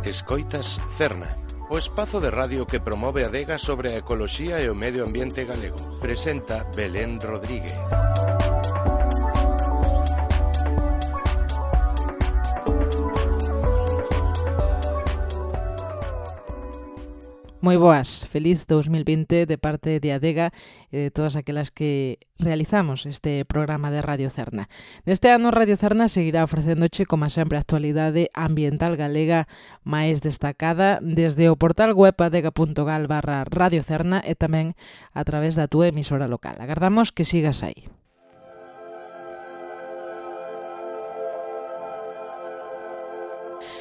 Escoitas Cerna, o espazo de radio que promove a adega sobre a ecoloxía e o medio ambiente galego. Presenta Belén Rodríguez. Moi boas, feliz 2020 de parte de Adega e de todas aquelas que realizamos este programa de Radio Cerna. Neste ano Radio Cerna seguirá ofrecéndoche, como sempre, a actualidade ambiental galega máis destacada desde o portal web adega.gal/Radio Cerna e tamén a través da túa emisora local. Agardamos que sigas aí.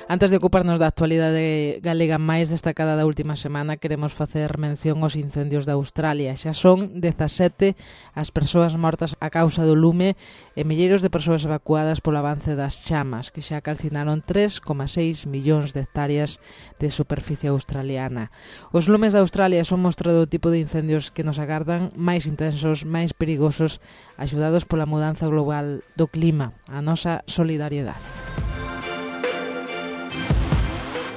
Antes de ocuparnos da actualidade galega máis destacada da última semana, queremos facer mención aos incendios de Australia. Xa son 17 as persoas mortas a causa do lume e milleiros de persoas evacuadas polo avance das chamas, que xa calcinaron 3,6 millóns de hectáreas de superficie australiana. Os lumes de Australia son mostra do tipo de incendios que nos agardan, máis intensos, máis perigosos, axudados pola mudanza global do clima. A nosa solidariedade.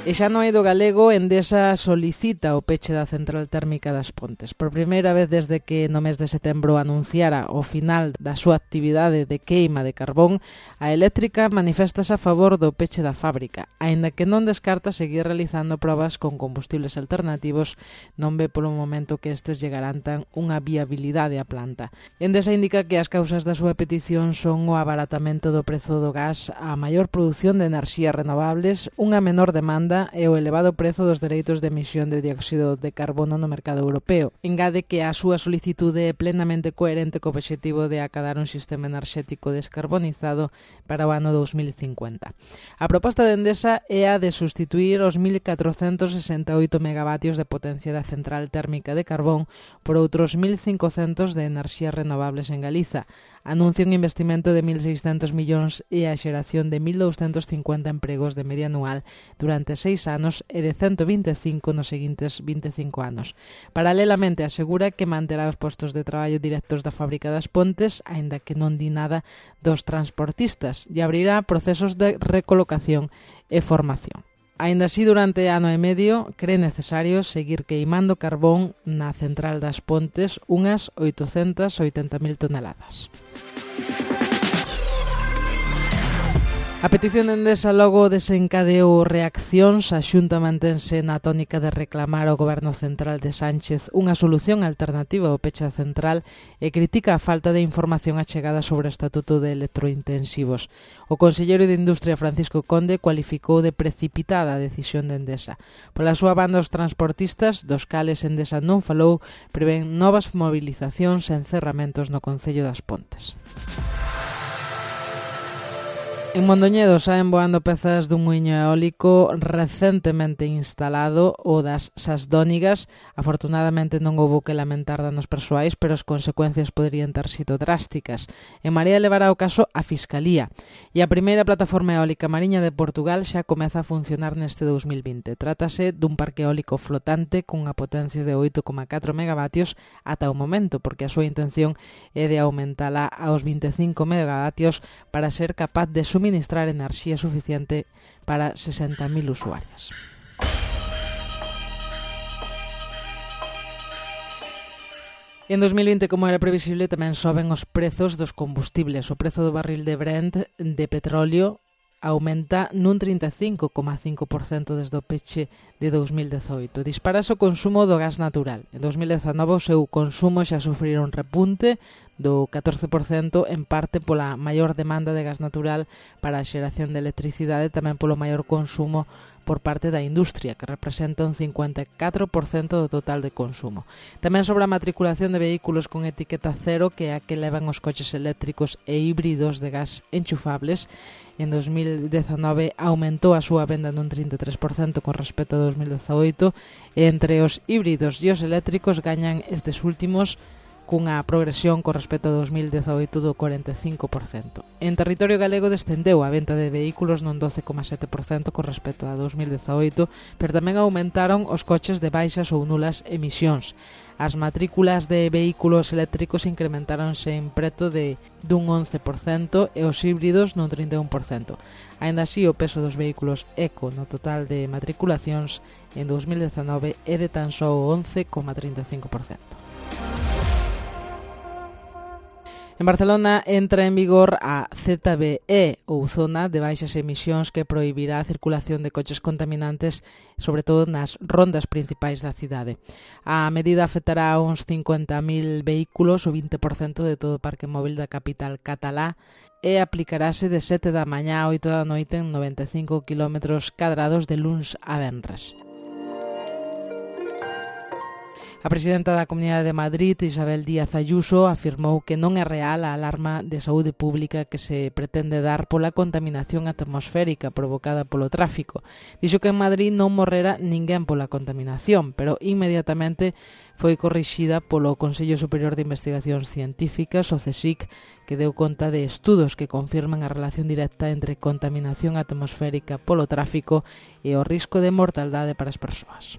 E xa no eido galego, Endesa solicita o peche da central térmica das Pontes. Por primeira vez desde que no mes de setembro anunciara o final da súa actividade de queima de carbón, a eléctrica maniféstase a favor do peche da fábrica, aínda que non descarta seguir realizando probas con combustibles alternativos, non ve polo momento que estes lle garantan unha viabilidade á planta. Endesa indica que as causas da súa petición son o abaratamento do prezo do gas, a maior produción de enerxías renovables, unha menor demanda e o elevado prezo dos dereitos de emisión de dióxido de carbono no mercado europeo. Engade que a súa solicitude é plenamente coherente co obxectivo de acadar un sistema enerxético descarbonizado para o ano 2050. A proposta de Endesa é a de sustituir os 1.468 megavatios de potencia da central térmica de carbón por outros 1.500 de enerxías renovables en Galiza. Anuncia un investimento de 1.600 millóns e a xeración de 1.250 empregos de media anual durante 6 anos e de 125 nos seguintes 25 anos. Paralelamente asegura que manterá os postos de traballo directos da fábrica das Pontes, aínda que non di nada dos transportistas, e abrirá procesos de recolocación e formación. Aínda así, durante ano e medio, cree necesario seguir queimando carbón na central das Pontes unhas 880.000 toneladas. A petición de Endesa logo desencadeou reaccións. A Xunta mantense na tónica de reclamar ao Goberno Central de Sánchez unha solución alternativa ao peche central e critica a falta de información achegada sobre o estatuto de electrointensivos. O conselleiro de Industria, Francisco Conde, cualificou de precipitada a decisión de Endesa. Pola súa banda, os transportistas, dos cales Endesa non falou, prevén novas movilizacións e encerramentos no Concello das Pontes. En Mondoñedo saen voando pezas dun muiño eólico recentemente instalado, o das Sasdónigas. Afortunadamente non houbo que lamentar danos persoais, pero as consecuencias poderían ter sido drásticas. En Marea levará o caso a Fiscalía. E a primeira plataforma eólica mariña de Portugal xa comeza a funcionar neste 2020. Trátase dun parque eólico flotante cunha potencia de 8,4 megavatios ata o momento, porque a súa intención é de aumentala aos 25 megavatios para ser capaz de suministrar enerxía suficiente para 60.000 usuarios. En 2020, como era previsible, tamén soben os prezos dos combustibles. O prezo do barril de Brent de petróleo aumenta nun 35,5% desde o peche de 2018. Disparase o consumo do gas natural. En 2019 o seu consumo xa sufrira un repunte do 14%, en parte pola maior demanda de gas natural para a xeración de electricidade, tamén polo maior consumo por parte da industria, que representa un 54% do total de consumo. Tamén sobre a matriculación de vehículos con etiqueta cero, que é a que levan os coches eléctricos e híbridos de gas enchufables. En 2019 aumentou a súa venda nun 33% con respecto a 2018, e entre os híbridos e os eléctricos gañan estes últimos cunha progresión con respecto a 2018 do 45%. En territorio galego descendeu a venta de vehículos nun 12,7% con respecto a 2018, pero tamén aumentaron os coches de baixas ou nulas emisións. As matrículas de vehículos eléctricos incrementáronse en preto dun 11% e os híbridos nun 31%. Aínda así, o peso dos vehículos eco no total de matriculacións en 2019 é de tan só o 11,35%. En Barcelona entra en vigor a ZBE, ou Zona de Baixas Emisións, que prohibirá a circulación de coches contaminantes, sobre todo nas rondas principais da cidade. A medida afectará a uns 50.000 vehículos, o 20% de todo o parque móvil da capital catalá, e aplicarase de 7 da mañá a 8 da noite en 95 km cadrados de luns a venres. A presidenta da Comunidade de Madrid, Isabel Díaz Ayuso, afirmou que non é real a alarma de saúde pública que se pretende dar pola contaminación atmosférica provocada polo tráfico. Dixo que en Madrid non morrera ninguén pola contaminación, pero inmediatamente foi corrixida polo Consello Superior de Investigacións Científicas, o CSIC, que deu conta de estudos que confirman a relación directa entre contaminación atmosférica polo tráfico e o risco de mortaldade para as persoas.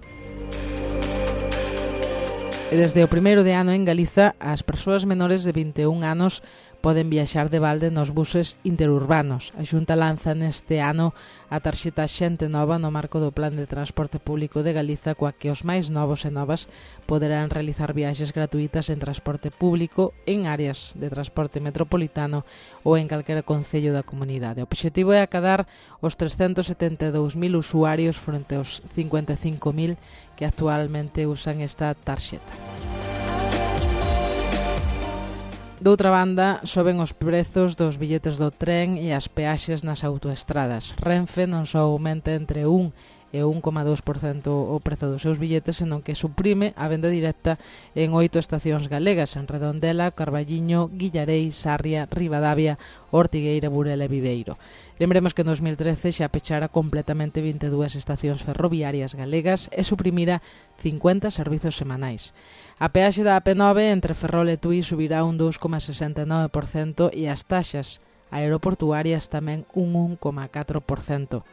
E desde o primeiro de ano en Galiza, as persoas menores de 21 anos poden viaxar de balde nos buses interurbanos. A Xunta lanza neste ano a tarxeta Xente Nova no marco do Plan de Transporte Público de Galiza, coa que os máis novos e novas poderán realizar viaxes gratuitas en transporte público en áreas de transporte metropolitano ou en calquera concello da comunidade. O obxectivo é acadar os 372.000 usuarios frente aos 55.000 que actualmente usan esta tarxeta. Doutra banda, soben os prezos dos billetes do tren e as peaxes nas autoestradas. Renfe non só aumenta entre 1 e 1,2% o prezo dos seus billetes, senón que suprime a venda directa en 8 estacións galegas, en Redondela, Carballiño, Guillarei, Sarria, Ribadavia, Ortigueira, Burela e Viveiro. Lembremos que en 2013 xa pechara completamente 22 estacións ferroviarias galegas e suprimira 50 servizos semanais. A peaxe da AP9 entre Ferrol e Tui subirá un 2,69% e as taxas aeroportuarias tamén un 1,4%.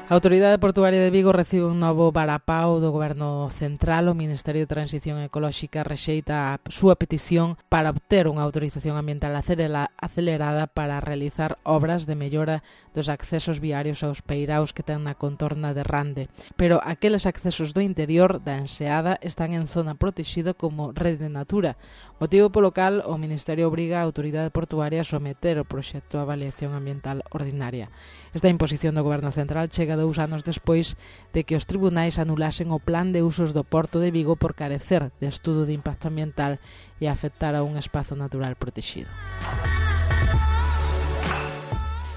A Autoridade Portuaria de Vigo recibe un novo varapao do Goberno Central. O Ministerio de Transición Ecolóxica rexeita a súa petición para obter unha autorización ambiental acelerada para realizar obras de mellora dos accesos viarios aos peiraos que ten na contorna de Rande. Pero aqueles accesos do interior da enseada están en zona protexida como Rede Natura, motivo polo cal o Ministerio obriga a Autoridade Portuaria a someter o proxecto a avaliación ambiental ordinaria. Esta imposición do Goberno Central chega 2 anos despois de que os tribunais anulasen o plan de usos do Porto de Vigo por carecer de estudo de impacto ambiental e afectar a un espazo natural protegido.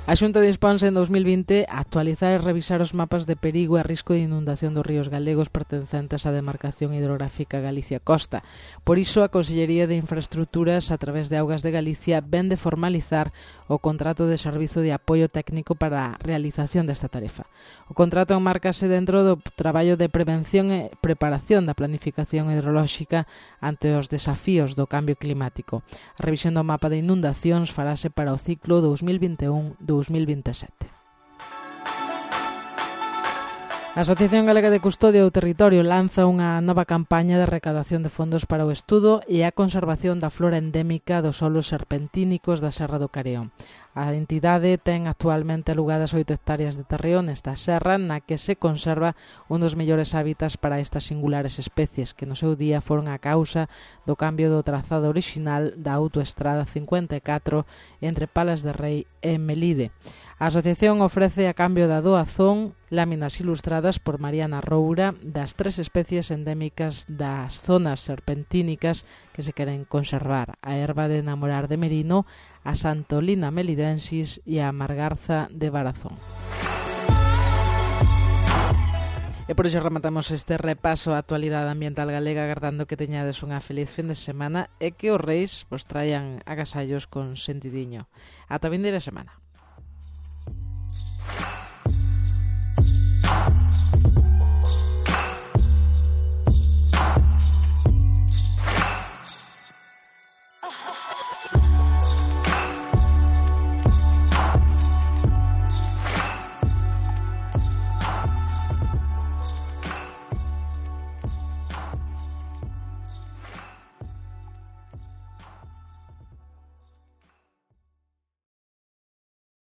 A Xunta disponse en 2020 a actualizar e revisar os mapas de perigo e risco de inundación dos ríos galegos pertencentes á demarcación hidrográfica Galicia-Costa. Por iso, a Consellería de Infraestructuras, a través de Augas de Galicia, ven de formalizar o contrato de servizo de apoio técnico para a realización desta tarefa. O contrato enmárcase dentro do traballo de prevención e preparación da planificación hidrolóxica ante os desafíos do cambio climático. A revisión do mapa de inundacións farase para o ciclo 2021-2027. A Asociación Galega de Custodia do Territorio lanza unha nova campaña de recadación de fondos para o estudo e a conservación da flora endémica dos solos serpentínicos da Serra do Careo. A entidade ten actualmente alugadas 8 hectáreas de terreo nesta serra na que se conserva un dos mellores hábitats para estas singulares especies que no seu día foron a causa do cambio do trazado orixinal da autoestrada 54 entre Palas de Rei e Melide. A asociación ofrece a cambio da doazón láminas ilustradas por Mariana Roura das 3 especies endémicas das zonas serpentínicas que se queren conservar: a erva de enamorar de Merino, a Santolina melidensis e a Margarza de Barazón. E por iso rematamos este repaso á actualidade ambiental galega, agardando que teñades unha feliz fin de semana e que os reis vos traian agasallos con sentidiño. Ata vindeira semana.